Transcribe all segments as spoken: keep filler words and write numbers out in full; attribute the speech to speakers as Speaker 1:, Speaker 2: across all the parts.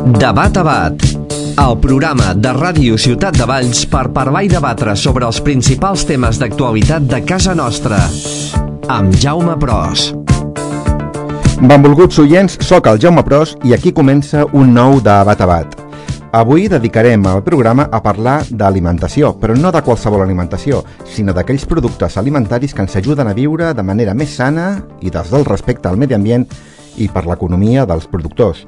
Speaker 1: Debat a Bat, el programa de Ràdio Ciutat de Valls per parlar i debatre sobre els principals temes d'actualitat de casa nostra, amb Jaume Pros.
Speaker 2: Benvolguts oients, soc el Jaume Pros i aquí comença un nou Debat a Bat. Avui dedicarem el programa a parlar d'alimentació, però no de qualsevol alimentació, sinó d'aquells productes alimentaris que ens ajuden a viure de manera més sana i des del respecte al medi ambient i per l'economia dels productors.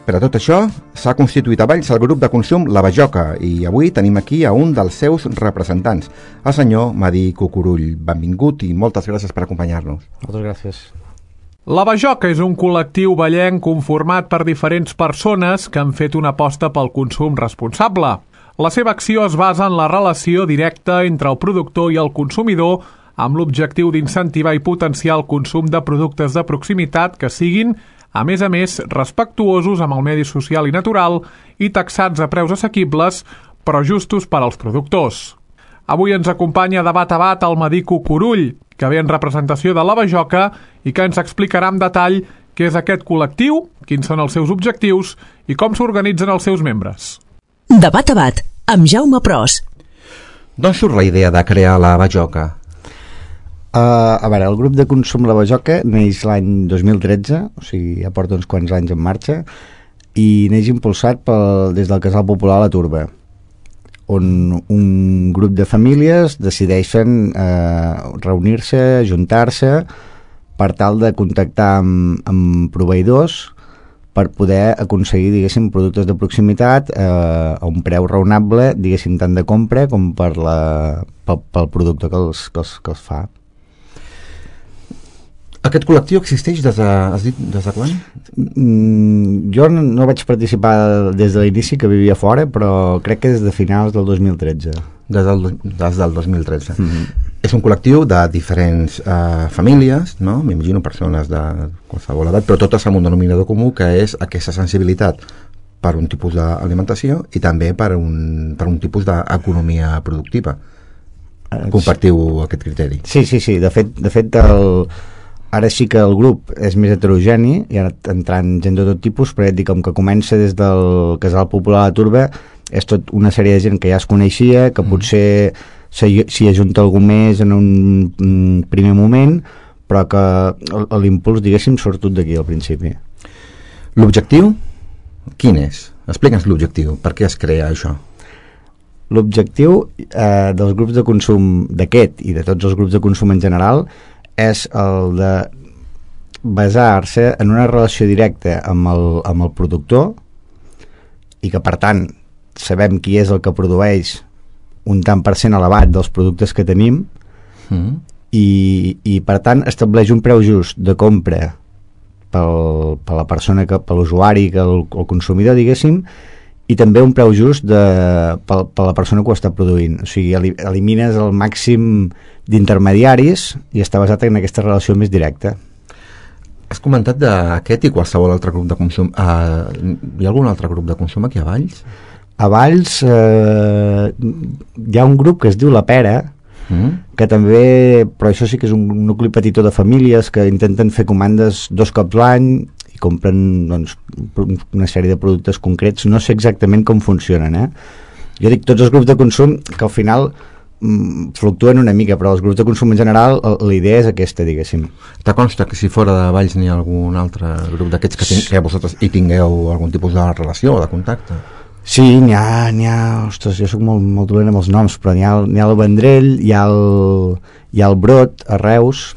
Speaker 2: Per a tot això, s'ha constituït a Valls el grup de consum La Bajoca i avui tenim aquí a un dels seus representants, el senyor Madí Cucurull. Benvingut i moltes gràcies per acompanyar-nos.
Speaker 3: Moltes gràcies.
Speaker 4: La Bajoca és un col·lectiu vallenc conformat per diferents persones que han fet una aposta pel consum responsable. La seva acció es basa en la relació directa entre el productor i el consumidor amb l'objectiu d'incentivar i potenciar el consum de productes de proximitat que siguin, a més a més, respectuosos amb el medi social i natural i taxats a preus assequibles, però justos per als productors. Avui ens acompanya Debat a Bat el Madí Cucurull, que ve en representació de La Bajoca i que ens explicarà en detall què és aquest col·lectiu, quins són els seus objectius i com s'organitzen els seus membres.
Speaker 5: Debat a Bat, amb Jaume Pros.
Speaker 2: D'on surt la idea de crear La Bajoca?
Speaker 3: Uh, a veure, el grup de consum La Bajoca neix l'any dos mil tretze, o sigui, ja porta uns quants anys en marxa, i neix impulsat pel, des del Casal Popular La Turba, on un grup de famílies decideixen uh, reunir-se, juntar-se, per tal de contactar amb, amb proveïdors per poder aconseguir, diguéssim, productes de proximitat eh, a un preu raonable, diguéssim, tant de compra com per la, pel, pel producte que els, que els, que els fa.
Speaker 2: Aquest col·lectiu existeix des de, has dit, des de quan?
Speaker 3: Mm, jo no, no vaig participar des de l'inici, que vivia fora, però crec que des de finals del dos mil tretze.
Speaker 2: Des del, des del dos mil tretze.
Speaker 3: Mm-hmm.
Speaker 2: És un col·lectiu de diferents eh, famílies, no? M'imagino persones de qualsevol edat, però totes amb un denominador comú, que és aquesta sensibilitat per un tipus d'alimentació i també per un, per un tipus d'economia productiva. Compartiu aquest criteri?
Speaker 3: Sí, sí, sí. De fet, de fet el... ara sí que el grup és més heterogeni, hi ha entrant gent de tot tipus, però ja et dic, com que comença des del Casal Popular a la Turba, és tot una sèrie de gent que ja es coneixia, que mm. potser s'hi ajunta algú més en un primer moment, però que l'impuls, diguéssim, surt tot d'aquí al principi.
Speaker 2: L'objectiu? Quin és? Explica'ns l'objectiu. Per què es crea això?
Speaker 3: L'objectiu eh, dels grups de consum d'aquest i de tots els grups de consum en general és el de basar-se en una relació directa amb el, amb el productor i que, per tant, sabem qui és el que produeix un tant per cent elevat dels productes que tenim mm. i, i, per tant, estableix un preu just de compra pel, per la persona, que, per l'usuari, que el, el consumidor, diguéssim, i també un preu just de, per, per la persona que ho està produint. O sigui, elimines el màxim d'intermediaris i està basat en aquesta relació més directa.
Speaker 2: Has comentat d'aquest i qualsevol altre grup de consum. Uh, hi ha algun altre grup de consum aquí a Valls?
Speaker 3: A Valls eh, hi ha un grup que es diu La Pera, mm. que també, però això sí que és un nucli petitó de famílies que intenten fer comandes dos cops l'any i compren, doncs, una sèrie de productes concrets. No sé exactament com funcionen, eh? Jo dic tots els grups de consum que al final mm, fluctuen una mica, però els grups de consum en general la idea és aquesta, diguéssim.
Speaker 2: Te consta que si fora de Valls n'hi ha algun altre grup d'aquests que, que vosaltres hi tingueu algun tipus de relació o de contacte?
Speaker 3: Sí, n'hi ha, n'hi ha, ostres, jo soc molt, molt dolent amb els noms, però n'hi ha, n'hi ha el Vendrell, hi ha el, hi ha el Brot a Reus,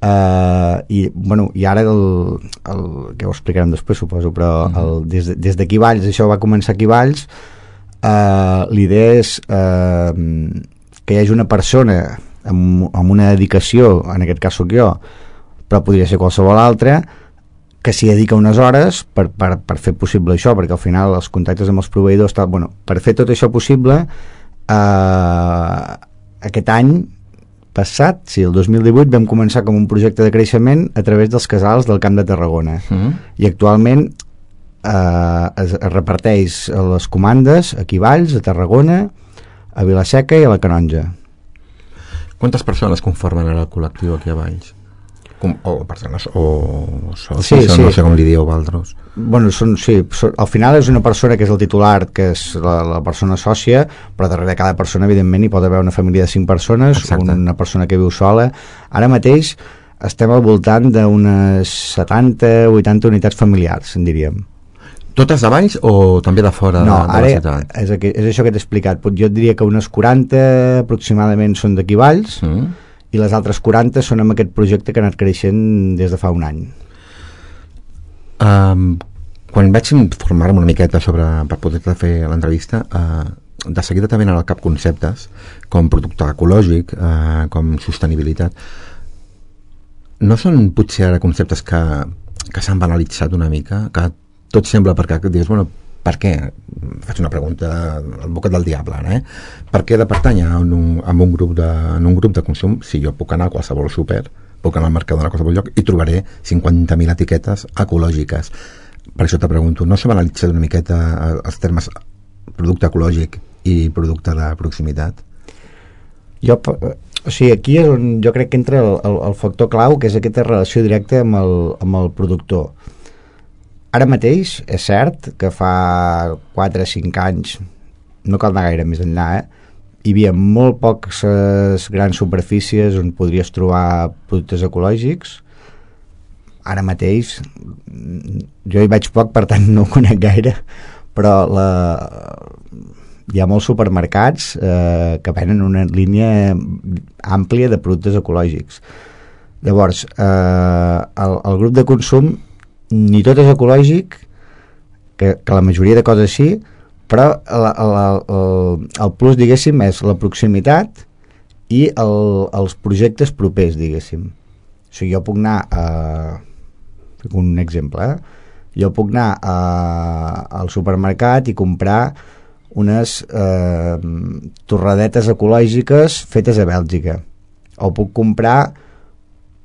Speaker 3: Uh, i, bueno, i ara el, el, que ho explicarem després, suposo, però el, des, de, des d'aquí Valls, això va començar aquí Valls, uh, l'idea és uh, que hi hagi una persona amb, amb una dedicació, en aquest cas sóc jo, però podria ser qualsevol altra, que s'hi dedica unes hores per, per, per fer possible això, perquè al final els contactes amb els proveïdors tal, bueno, per fer tot això possible uh, aquest any passat, sí, el dos mil divuit vam començar com un projecte de creixement a través dels casals del Camp de Tarragona mm. i actualment eh, es, es reparteix les comandes aquí a Valls, a Tarragona, a Vila-seca i a la Canonja.
Speaker 2: Quantes persones conformen ara el col·lectiu aquí a Valls? Com, o persones o socis,
Speaker 3: sí,
Speaker 2: o
Speaker 3: sí.
Speaker 2: no sé com li dieu vosaltres.
Speaker 3: Bueno, són, sí, són, al final és una persona que és el titular, que és la, la persona sòcia, però darrere de cada persona evidentment hi pot haver una família de cinc persones. Exacte. Una persona que viu sola. Ara mateix estem al voltant d'unes setanta o vuitanta unitats familiars, en diríem.
Speaker 2: Totes de Valls o també de fora
Speaker 3: no,
Speaker 2: de, de
Speaker 3: ara
Speaker 2: la ciutat?
Speaker 3: És, aquí, és això que t'he explicat. Jo et diria que unes quaranta aproximadament són d'aquí Valls, mm. i les altres quaranta són amb aquest projecte que ha anat creixent des de fa un any.
Speaker 2: Um, quan vaig informar-me una miqueta sobre, per poder fer l'entrevista, uh, de seguida també anaven al cap conceptes com producte ecològic, uh, com sostenibilitat. No són potser ara conceptes que, que s'han banalitzat una mica, que tot sembla, perquè dius, bueno, per què? Faig una pregunta al bocat del diable, ara, eh? Per què de pertànyer a un, a un, grup de, en un grup de consum si jo puc anar a qualsevol súper, puc anar al mercat a qualsevol lloc i trobaré cinquanta mil etiquetes ecològiques? Per això te pregunto, no s'ha banalitzat una miqueta els termes producte ecològic i producte de proximitat?
Speaker 3: Jo, o sigui, aquí és on jo crec que entra el, el, el factor clau, que és aquesta relació directa amb el, amb el productor. Ara mateix és cert que fa quatre o cinc anys, no cal anar gaire més enllà, eh? Hi havia molt poques grans superfícies on podries trobar productes ecològics. Ara mateix jo hi vaig poc, per tant no ho conec gaire, però la, hi ha molts supermercats eh, que venen una línia àmplia de productes ecològics. Llavors, eh, el, el grup de consum ni tot és ecològic, que, que la majoria de coses sí, però el, el, el, el plus, diguéssim, és la proximitat i el, els projectes propers, diguéssim. O sigui, jo puc anar a... un exemple, eh? Jo puc anar a, al supermercat i comprar unes eh, torradetes ecològiques fetes a Bèlgica. O puc comprar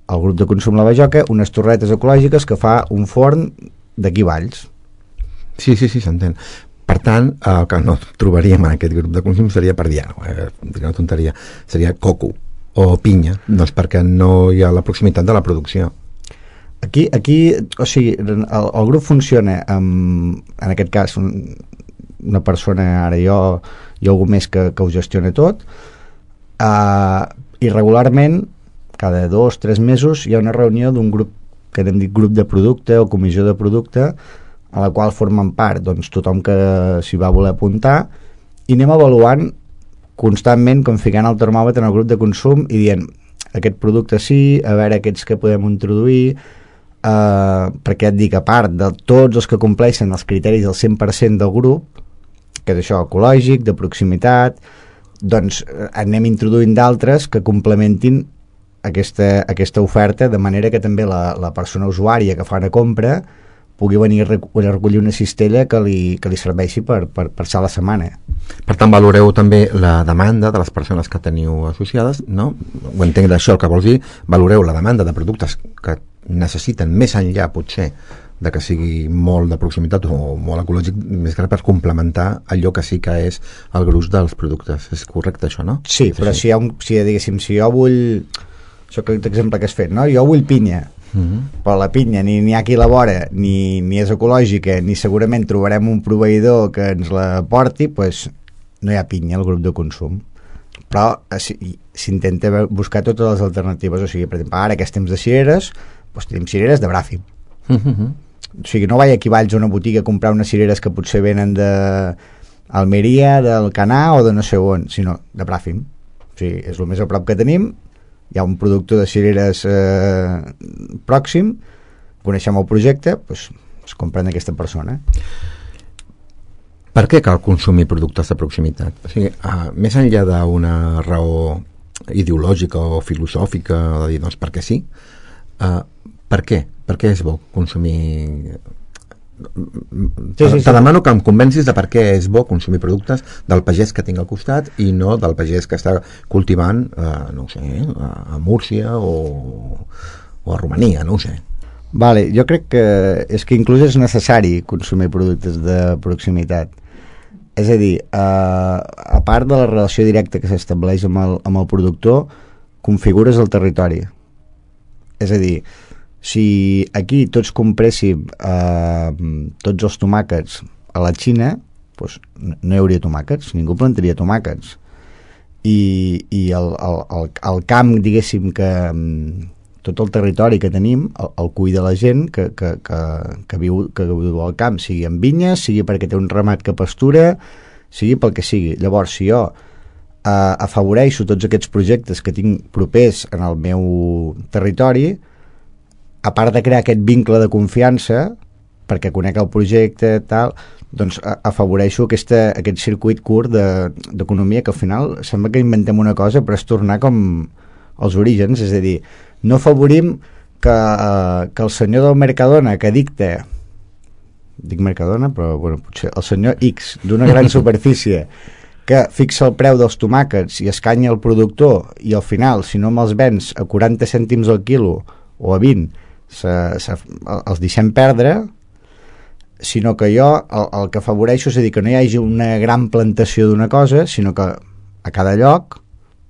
Speaker 3: al grup de consum La Bajoca unes torretes ecològiques que fa un forn d'aquí Valls.
Speaker 2: Sí, sí, sí, s'entén. Per tant, el que no trobaríem en aquest grup de consum seria, per dir eh, una tonteria, seria coco o pinya, doncs perquè no hi ha la proximitat de la producció.
Speaker 3: Aquí, aquí o sigui, el, el grup funciona amb, en aquest cas, un, una persona, ara jo, i algú més que, que ho gestiona tot, eh, i regularment cada dos, tres mesos hi ha una reunió d'un grup que hem dit grup de producte o comissió de producte, a la qual formen part doncs, tothom que s'hi va voler apuntar, i anem avaluant constantment, configurant el termòmetre en el grup de consum i dient, aquest producte sí, a veure aquests que podem introduir, eh, perquè et dic, a part de tots els que compleixen els criteris del cent per cent del grup, que és això, ecològic, de proximitat, doncs anem introduint d'altres que complementin aquesta, aquesta oferta, de manera que també la, la persona usuària que fa una compra pugui venir a recollir una cistella que li, que li serveixi per, per, per ser la setmana.
Speaker 2: Per tant, valoreu també la demanda de les persones que teniu associades, no? Ho entenc d'això el que vols dir, valoreu la demanda de productes que necessiten més enllà, potser, de que sigui molt de proximitat o molt ecològic, més que per complementar allò que sí que és el gruix dels productes. És correcte això, no?
Speaker 3: Sí, però si, hi ha un, si, diguéssim, si jo vull... Això que l'exemple que has fet, no? Jo vull pinya, uh-huh. però la pinya ni n'hi ha qui la vora, ni, ni és ecològica, ni segurament trobarem un proveïdor que ens la porti, doncs no hi ha pinya al grup de consum. Però s'intenta buscar totes les alternatives. O sigui, per exemple, ara aquests temps de cireres, doncs tenim cireres de Bràfim. Uh-huh. O sigui, no vaig aquí a Valls a una botiga a comprar unes cireres que potser venen d'Almeria, del Canà o de no sé on, sinó de Bràfim. O sigui, és el més a prop que tenim. Hi ha un productor de cireres eh, pròxim, coneixem el projecte, doncs es compren d'aquesta persona.
Speaker 2: Per què cal consumir productes de proximitat? O sigui, uh, més enllà d'una raó ideològica o filosòfica, de dir, doncs, perquè sí, uh, per què? Per què és bo consumir... Sí, sí, sí. Te demano que em convencis de per què és bo consumir productes del pagès que tinc al costat i no del pagès que està cultivant eh, no ho sé, a Múrcia o, o a Romania, no ho sé.
Speaker 3: Vale, jo crec que és que inclús és necessari consumir productes de proximitat. És a dir, eh, a part de la relació directa que s'estableix amb el, amb el productor, configures el territori. És a dir, si aquí tots compréssim eh, tots els tomàquets a la Xina, doncs no hi hauria tomàquets, ningú plantaria tomàquets. I, i el, el, el, el camp, diguéssim, que tot el territori que tenim el, el cuida la gent que, que, que, que, viu, que viu al camp, sigui en vinyes, sigui perquè té un ramat que pastura, sigui pel que sigui. Llavors, si jo eh, afavoreixo tots aquests projectes que tinc propers en el meu territori, a part de crear aquest vincle de confiança, perquè conec el projecte, tal, doncs afavoreixo aquesta, aquest circuit curt d'economia, que al final sembla que inventem una cosa però és tornar com als orígens, és a dir, no afavorim que, eh, que el senyor del Mercadona que dicta, dic Mercadona però bueno, potser el senyor X d'una gran superfície que fixa el preu dels tomàquets i escanya el productor i al final si no me'ls vens a quaranta cèntims al quilo o a vint se, se, els deixem perdre, sinó que jo el, el que afavoreixo és a dir que no hi hagi una gran plantació d'una cosa, sinó que a cada lloc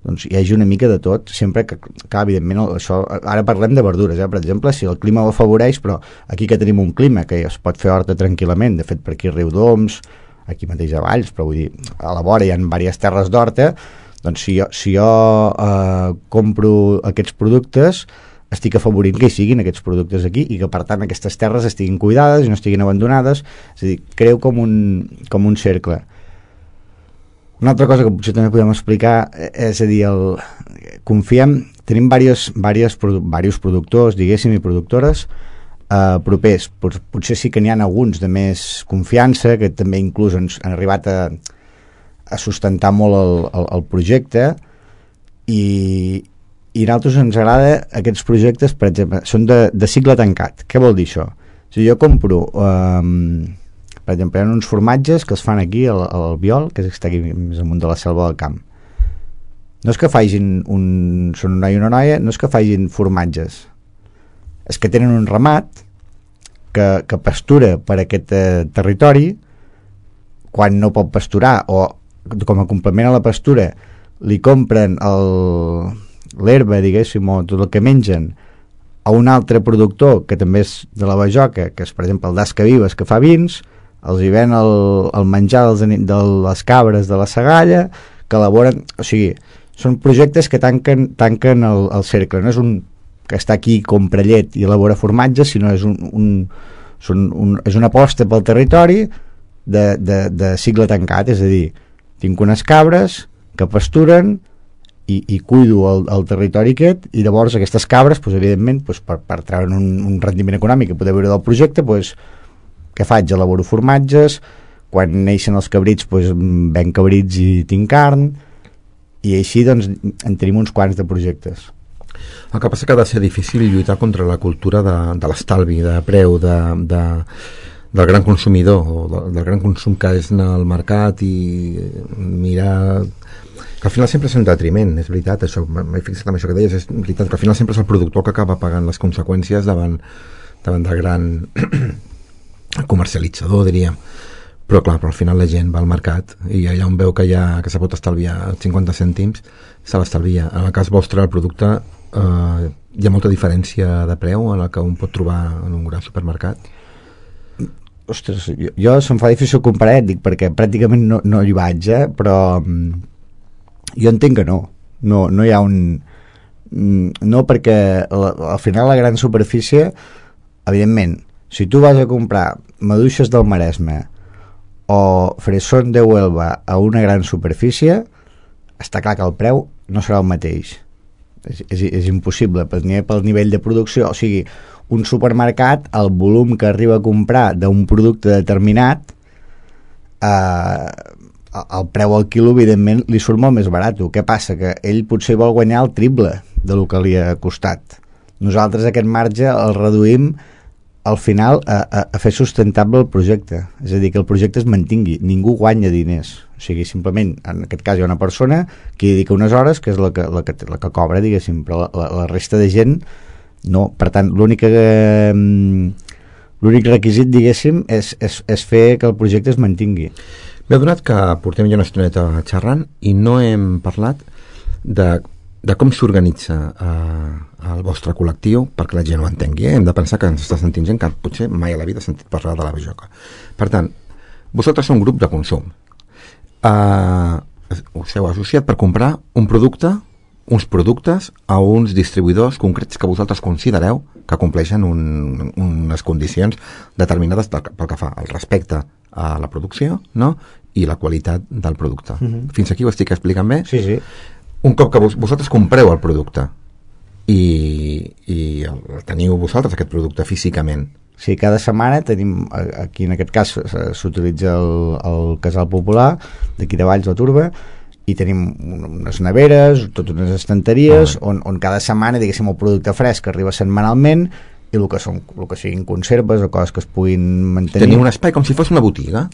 Speaker 3: doncs, hi hagi una mica de tot, sempre que, clar, evidentment, això, ara parlem de verdures, eh? Per exemple, si el clima ho afavoreix, però aquí que tenim un clima que es pot fer horta tranquil·lament, de fet per aquí a Riudoms, aquí mateix a Valls, però vull dir, a la vora hi ha diverses terres d'horta, doncs si jo, si jo eh, compro aquests productes, estic afavorint que hi siguin aquests productes aquí i que per tant aquestes terres estiguin cuidades i no estiguin abandonades, és a dir, creu com un, com un cercle. Una altra cosa que potser també podem explicar és a dir, el, confiem, tenim diversos, diversos, diversos productors, diguéssim, i productores eh, propers, Pot, potser sí que n'hi ha alguns de més confiança que també inclús han, han arribat a, a sustentar molt el, el, el projecte i i a nosaltres ens agrada aquests projectes, per exemple, són de, de cicle tancat. Què vol dir això? Si jo compro, um, per exemple, hi ha uns formatges que es fan aquí al, al Biol, que està aquí més amunt de la selva del camp. No és que facin un, són un noi i una noia, no és que facin formatges. És que tenen un ramat que, que pastura per aquest eh, territori, quan no pot pasturar, o com a complement a la pastura, li compren el... l'herba, diguéssim, o tot el que mengen a un altre productor que també és de la Bajoca, que és per exemple el d'Asca Vives, que fa vins, els hi ven el, el menjar dels, de les cabres de la Sagalla, que elaboren, o sigui, són projectes que tanquen, tanquen el, el cercle, no és un que està aquí, compra llet i elabora formatge, sinó és un, un, són un és una aposta pel territori de, de, de cicle tancat, és a dir, tinc unes cabres que pasturen i, i cuido el, el territori aquest i llavors aquestes cabres, doncs, evidentment doncs, per, per treure un, un rendiment econòmic que poder veure del projecte, doncs, què faig? Elaboro formatges, quan neixen els cabrits doncs, ven cabrits i tinc carn i així doncs, en tenim uns quants de projectes.
Speaker 2: El que passa que ha de ser difícil lluitar contra la cultura de, de l'estalvi, de preu, de, de, del gran consumidor o de, del gran consum que és anar al mercat i mirar... que al final sempre és un detriment, és veritat, això, m'he fixat amb això que deies, és veritat que al final sempre és el productor que acaba pagant les conseqüències davant, davant del gran comercialitzador, diríem. Però clar, però al final la gent va al mercat i allà on veu que, hi ha, que se pot estalviar cinquanta cèntims, se l'estalvia. En el cas vostre, el producte, eh, hi ha molta diferència de preu en el que un pot trobar en un gran supermercat?
Speaker 3: Ostres, jo, jo se'm fa difícil comparar, dic, perquè pràcticament no, no hi vaig, eh? Però jo entenc que no. No, no hi ha un... No, perquè la, al final la gran superfície, evidentment, si tu vas a comprar maduixes del Maresme o fresón de Huelva a una gran superfície, està clar que el preu no serà el mateix. És, és, és impossible, pel, pel nivell de producció. O sigui, un supermercat, el volum que arriba a comprar d'un producte determinat, eh, el preu al quilo, evidentment, li surt molt més barat. Què passa? Que ell potser vol guanyar el triple del que li ha costat. Nosaltres aquest marge el reduïm al final a, a, a fer sustentable el projecte. És a dir, que el projecte es mantingui. Ningú guanya diners. O sigui, simplement, en aquest cas hi ha una persona que dedica unes hores, que és la que, la que, la que cobra, diguéssim, però la, la resta de gent no. Per tant, l'única... l'únic requisit, diguéssim, és, és, és fer que el projecte es mantingui.
Speaker 2: M'he adonat que portem ja una estoneta xerrant i no hem parlat de, de com s'organitza eh, el vostre col·lectiu, perquè la gent ho entengui, eh? Hem de pensar que ens està sentint gent que potser mai a la vida ha sentit parlar de la bajoca. Per tant, vosaltres sou un grup de consum. Uh, us heu associat per comprar un producte, uns productes a uns distribuïdors concrets que vosaltres considereu que compleixen un, unes condicions determinades pel, pel que fa al respecte a la producció, no? I la qualitat del producte. Mm-hmm. Fins aquí ho estic explicant bé?
Speaker 3: Sí, sí.
Speaker 2: Un cop que vos, vosaltres compreu el producte i, i el, el teniu vosaltres aquest producte físicament.
Speaker 3: Sí, cada setmana tenim, aquí en aquest cas s'utilitza el, el Casal Popular d'aquí de Valls, la Turba, i tenim unes neveres, totes unes estanteries, ah, on, on cada setmana, diguéssim, el producte fresc arriba setmanalment, i el que, són, el que siguin conserves o coses que es puguin mantenir.
Speaker 2: Tenim un espai com si fos una botiga?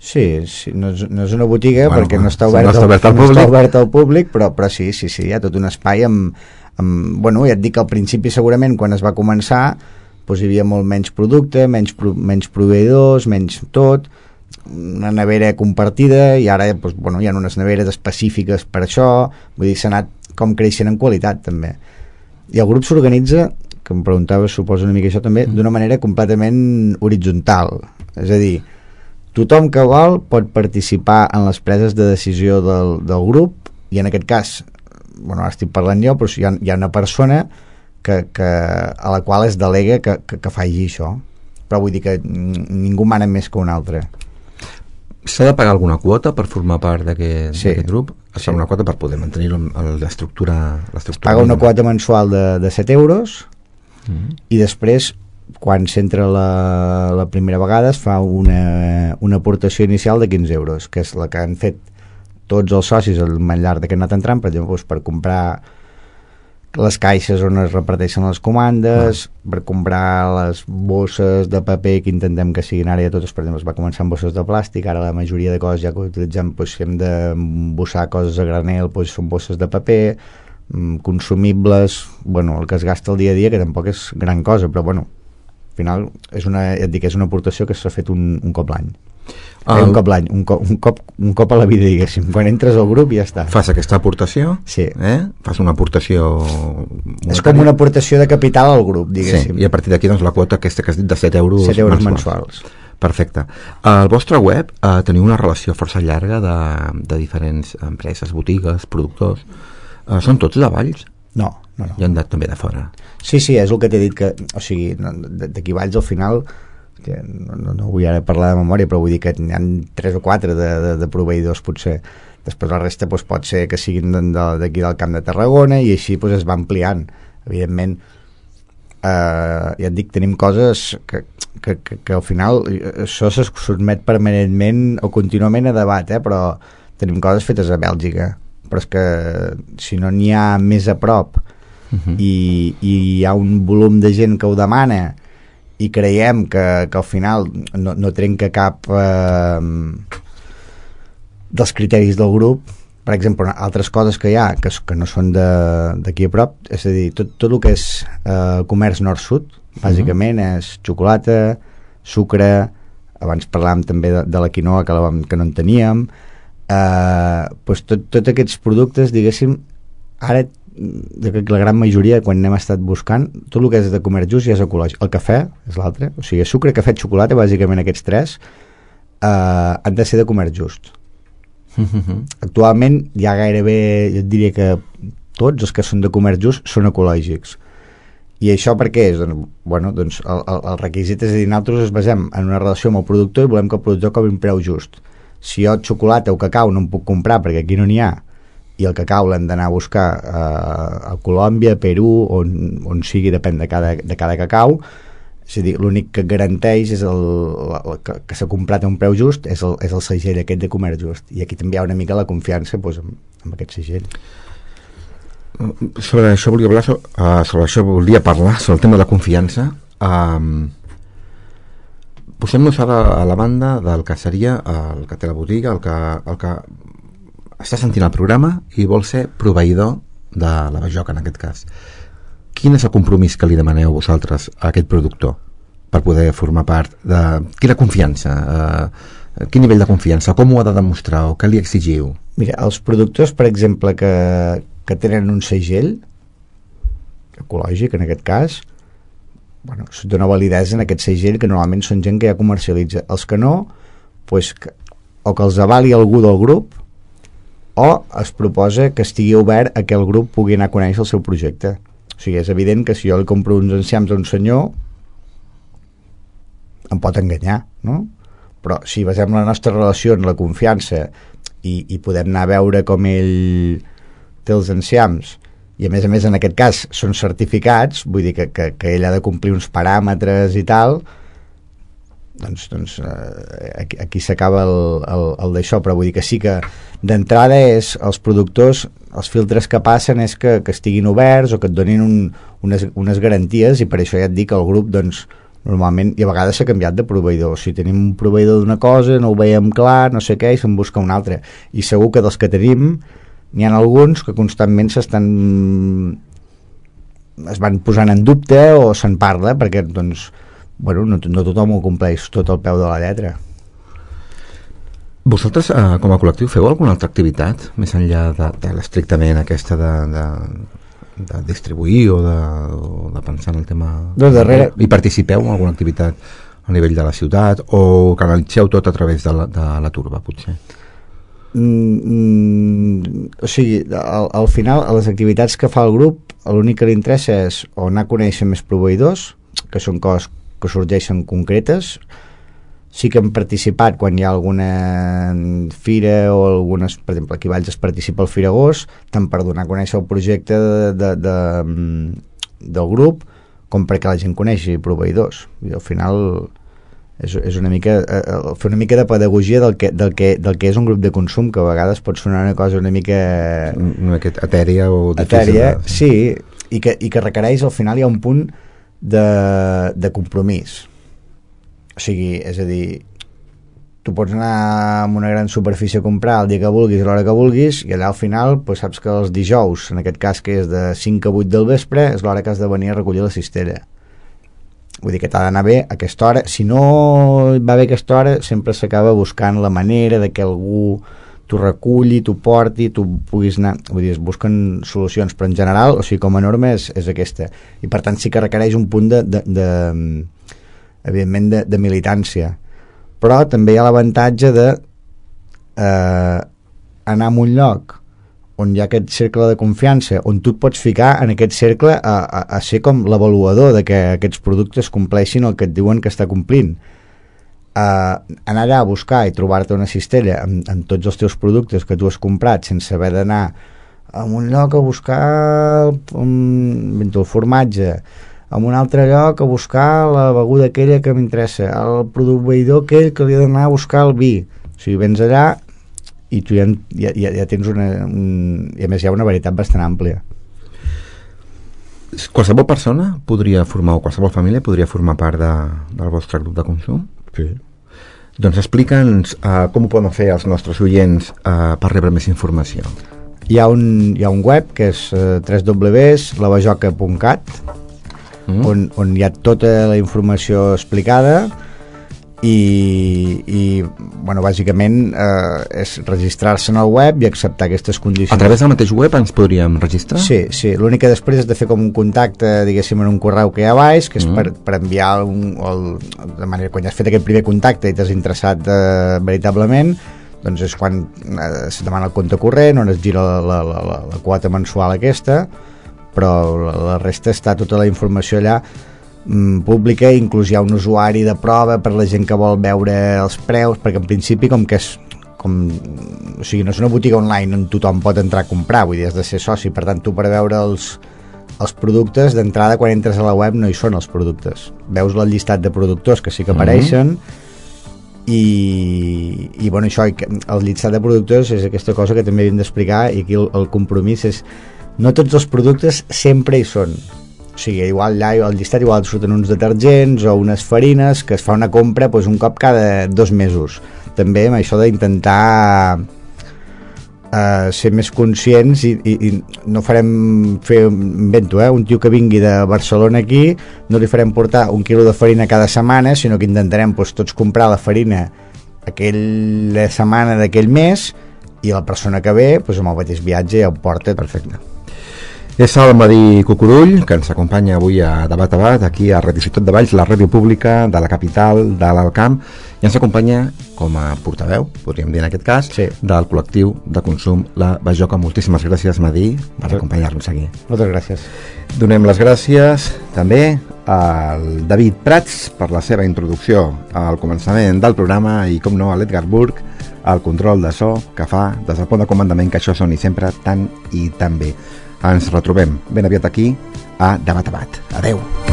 Speaker 3: Sí, sí, no, és, no és una botiga, bueno, perquè no està
Speaker 2: obert,
Speaker 3: no
Speaker 2: està obert al,
Speaker 3: no
Speaker 2: públic.
Speaker 3: Està obert al públic, però, però sí, sí, sí, hi ha tot un espai amb, amb... Bueno, ja et dic que al principi segurament quan es va començar doncs hi havia molt menys producte, menys, pro, menys proveïdors, menys tot, una nevera compartida, i ara doncs, bueno, hi ha unes neveres específiques per això, vull dir, s'ha anat com creixent en qualitat també. I el grup s'organitza, que em preguntaves, suposo una mica això també, mm. d'una manera completament horitzontal, és a dir, tothom que vol pot participar en les preses de decisió del, del grup, i en aquest cas, bueno, ara estic parlant jo, però hi ha, hi ha una persona que, que, a la qual es delega que, que, que faci això, però vull dir que ningú mana més que un altre.
Speaker 2: S'ha de pagar alguna quota per formar part d'aquest
Speaker 3: sí,
Speaker 2: grup? Es fa sí. Una quota per poder mantenir l'estructura.
Speaker 3: Es paga una quota mensual de, de set euros mm. i després quan s'entra la, la primera vegada es fa una, una aportació inicial de quinze euros, que és la que han fet tots els socis al llarg que han anat entrant, per exemple, doncs per comprar les caixes on es reparteixen les comandes, ah. per comprar les bosses de paper que intentem que siguin ara ja totes, per exemple, es va començar amb bosses de plàstic, ara la majoria de coses ja que utilitzem, doncs, si hem d'embossar coses a granel, doncs són bosses de paper, consumibles, bueno, el que es gasta el dia a dia, que tampoc és gran cosa, però bueno, al final és una, ja et dic, és una aportació que s'ha fet un, un cop l'any. El... Eh, un cop l'any, un, cop, un, cop, un cop a la vida, diguéssim. Quan entres al grup ja està.
Speaker 2: Fas aquesta aportació?
Speaker 3: Sí.
Speaker 2: Eh? Fas una aportació monetària.
Speaker 3: És com una aportació de capital al grup, diguéssim.
Speaker 2: Sí, i a partir d'aquí doncs, la quota aquesta que has dit de set euros,
Speaker 3: set euros mensuals. mensuals.
Speaker 2: Perfecte. Al vostre web eh, teniu una relació força llarga de, de diferents empreses, botigues, productors. Eh, són tots de Valls?
Speaker 3: No, no, no.
Speaker 2: I han anat també de fora?
Speaker 3: Sí, sí, és el que t'he dit, que, o sigui, d'aquí Valls al final... que no, no, no vull ara parlar de memòria, però vull dir que hi ha tres o quatre de, de, de proveïdors potser. Després la resta doncs, pot ser que siguin d'aquí del Camp de Tarragona, i així doncs, es va ampliant. Evidentment, eh, ja et dic, tenim coses que, que, que, que al final això se sotmet permanentment o contínuament a debat, eh, però tenim coses fetes a Bèlgica, però és que si no n'hi ha més a prop uh-huh. i, i hi ha un volum de gent que ho demana i creiem que, que al final no, no trenca cap eh, dels criteris del grup. Per exemple, altres coses que hi ha que, que no són d'aquí a prop, és a dir, tot, tot el que és eh, comerç nord-sud, bàsicament uh-huh. és xocolata, sucre, abans parlàvem també de, de la quinoa que, la, que no en teníem, eh, doncs tot, tots aquests productes, diguéssim, ara la gran majoria, quan n'hem estat buscant, tot el que és de comerç just ja és ecològic. El cafè és l'altre, o sigui, sucre, cafè, xocolata, bàsicament aquests tres eh, han de ser de comerç just. Actualment ja gairebé, jo et diria que tots els que són de comerç just són ecològics. I això per què és? Doncs, bueno, doncs el, el, el requisit és a dir, nosaltres ens basem en una relació amb el productor i volem que el productor cobri un preu just. Si jo xocolata o cacau no em puc comprar perquè aquí no n'hi ha, i el cacau l'hem d'anar a buscar eh, a Colòmbia, Perú, on, on sigui, depèn de cada, de cada cacau, és a dir, l'únic que garanteix és el, el, que, que s'ha comprat a un preu just és el, és el segell aquest de comerç just, i aquí també hi ha una mica la confiança doncs, amb, amb aquest segell.
Speaker 2: Sobre això volia parlar uh, sobre això volia parlar sobre el tema de la confiança. um, posem-nos ara a la banda del que seria el que té la botiga, el que, el que està sentint el programa i vol ser proveïdor de la bajoca en aquest cas. Quin és el compromís que li demaneu vosaltres a aquest productor per poder formar part de... Quina confiança? Eh, quin nivell de confiança? Com ho ha de demostrar o què li exigiu?
Speaker 3: Mira, els productors, per exemple, que, que tenen un segell ecològic, en aquest cas, bueno, dona validesa en aquest segell, que normalment són gent que ja comercialitza. Els que no, pues, que, o que els avali algú del grup, o es proposa que estigui obert a que el grup pugui anar a conèixer el seu projecte. O sigui, és evident que si jo li compro uns enciams a un senyor, em pot enganyar, no? Però si basem la nostra relació en la confiança i, i podem anar a veure com ell té els enciams, i a més a més en aquest cas són certificats, vull dir que, que, que ell ha de complir uns paràmetres i tal, doncs, doncs eh, aquí, aquí s'acaba el, el, el d'això, però vull dir que sí que d'entrada és els productors, els filtres que passen és que, que estiguin oberts o que et donin un, unes, unes garanties, i per això ja et dic que el grup doncs normalment, i a vegades s'ha canviat de proveïdor. Si tenim un proveïdor d'una cosa, no ho veiem clar, no sé què, i se'n busca un altre, i segur que dels que tenim n'hi ha alguns que constantment s'estan es van posant en dubte o se'n parla perquè doncs, bueno, no, no tothom ho compleix tot al peu de la lletra.
Speaker 2: Vosaltres, eh, com a col·lectiu, feu alguna altra activitat més enllà de, de l'estrictament aquesta de, de, de distribuir o de, o de pensar en el tema
Speaker 3: no, darrere...
Speaker 2: i participeu en alguna activitat a nivell de la ciutat o canalitzeu tot a través de la, de la turba, potser?
Speaker 3: Mm, o sigui, al, al final a les activitats que fa el grup l'únic que li interessa és o anar a conèixer més proveïdors, que són coses que sorgeixen concretes. Sí que hem participat quan hi ha alguna fira o algunes, per exemple aquí a Valls es participa al Firagós, tant per donar a conèixer el projecte de, de, de, del grup com perquè la gent coneixi proveïdors. I al final és, és una mica eh, fer una mica de pedagogia del que, del, que, del que és un grup de consum, que a vegades pot sonar una cosa una mica
Speaker 2: una mica etèria o difícil
Speaker 3: etèria, de... sí, i que, i que requereix, al final hi ha un punt de, de compromís. O sigui, és a dir, tu pots anar a una gran superfície a comprar el dia que vulguis, a l'hora que vulguis, i allà al final pues, saps que els dijous, en aquest cas que és de cinc a vuit del vespre, és l'hora que has de venir a recollir la cistella. Vull dir que t'ha d'anar bé a aquesta hora. Si no va bé a aquesta hora, sempre s'acaba buscant la manera de que algú t'ho reculli, t'ho porti, tu puguis anar... Vull dir, es busquen solucions, però en general, o sigui, com a norma és, és aquesta. I per tant sí que requereix un punt de... de, de evidentment de, de militància. Però també hi ha l'avantatge de eh, anar a un lloc on hi ha aquest cercle de confiança, on tu et pots ficar en aquest cercle a, a, a ser com l'avaluador de que aquests productes compleixin el que et diuen que està complint. Uh, anar allà a buscar i trobar-te una cistella amb, amb tots els teus productes que tu has comprat sense haver d'anar a un lloc a buscar el, un, el formatge, a un altre lloc a buscar la beguda aquella que m'interessa, el proveïdor aquell que li ha d'anar a buscar el vi. O sigui, vens allà i tu ja, ja, ja tens una... Un, i a més hi ha una varietat bastant àmplia.
Speaker 2: Qualsevol persona podria formar, o qualsevol família podria formar part de, del vostre grup de consum?
Speaker 3: Sí.
Speaker 2: Doncs explica'ns uh, com ho poden fer els nostres oients uh, per rebre més informació.
Speaker 3: Hi ha un, hi ha un web que és uh, w w w punt lavajoca punt cat mm. on, on hi ha tota la informació explicada i, i bueno, bàsicament eh, és registrar-se en el web i acceptar aquestes condicions.
Speaker 2: A través del mateix web ens podríem registrar?
Speaker 3: Sí, sí, l'únic que després és de fer com un contacte, diguéssim, en un correu que hi ha baix, que és mm. per, per enviar un, el, de manera, quan ja has fet aquest primer contacte i t'has interessat eh, veritablement, doncs és quan eh, se demana el compte corrent, on es gira la, la, la, la, la quota mensual aquesta, però la, la resta està tota la informació allà pública, inclús hi ha un usuari de prova per la gent que vol veure els preus, perquè en principi com que és com, o sigui, no és una botiga online on tothom pot entrar a comprar, vull dir, has de ser soci, per tant tu per veure els, els productes d'entrada quan entres a la web no hi són els productes, veus el llistat de productors que sí que apareixen mm-hmm. i, i bueno, això, el llistat de productors és aquesta cosa que també hem d'explicar, i aquí el, el compromís és no tots els productes sempre hi són. O sigui, igual allà al llistat igual surten uns detergents o unes farines que es fa una compra doncs, un cop cada dos mesos. També amb això d'intentar uh, ser més conscients i, i, i no farem fer, invento, eh, un tio que vingui de Barcelona aquí, no li farem portar un quilo de farina cada setmana, sinó que intentarem doncs, tots comprar la farina aquella setmana d'aquell mes, i la persona que ve doncs, amb el mateix viatge ja ho porta.
Speaker 2: Perfecte. És el Madí Cucurull, que ens acompanya avui a Debat a Bat, aquí a Radio Ciutat de Valls, la ràdio pública de la capital de l'Alt Camp, i ens acompanya com a portaveu, podríem dir en aquest cas,
Speaker 3: sí,
Speaker 2: del col·lectiu de consum La Bajoca. Moltíssimes gràcies, Madí, per acompanyar-nos aquí.
Speaker 3: Moltes gràcies.
Speaker 2: Donem les gràcies també al David Prats per la seva introducció al començament del programa i, com no, a l'Edgar Burg, el control de so que fa des del pont de comandament que això soni sempre tan i tan bé. Ens retrobem ben aviat aquí a Debat a Bat. Adeu.